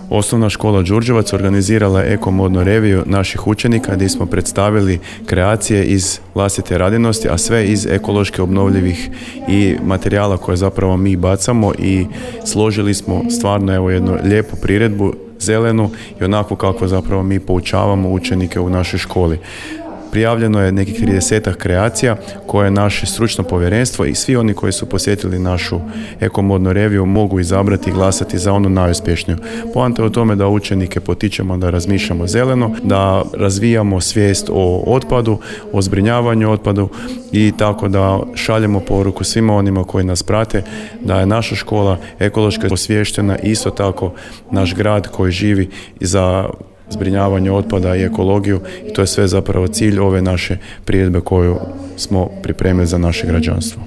Osnovna škola Đurđevac organizirala je eko-modnu reviju naših učenika gdje smo predstavili kreacije iz vlastite radinosti, a sve iz ekološki obnovljivih i materijala koje zapravo mi bacamo i složili smo stvarno jednu lijepu priredbu, zelenu i onako kako zapravo mi poučavamo učenike u našoj školi. Prijavljeno je nekih 30 kreacija koje naše stručno povjerenstvo i svi oni koji su posjetili našu eko-modnu reviju mogu izabrati i glasati za onu najuspješniju. Poanta je u tome da učenike potičemo da razmišljamo zeleno, da razvijamo svijest o otpadu, o zbrinjavanju otpadu i tako da šaljemo poruku svima onima koji nas prate da je naša škola ekološki osviještena i isto tako naš grad koji živi za zbrinjavanje otpada i ekologiju i to je sve zapravo cilj ove naše priredbe koju smo pripremili za naše građanstvo.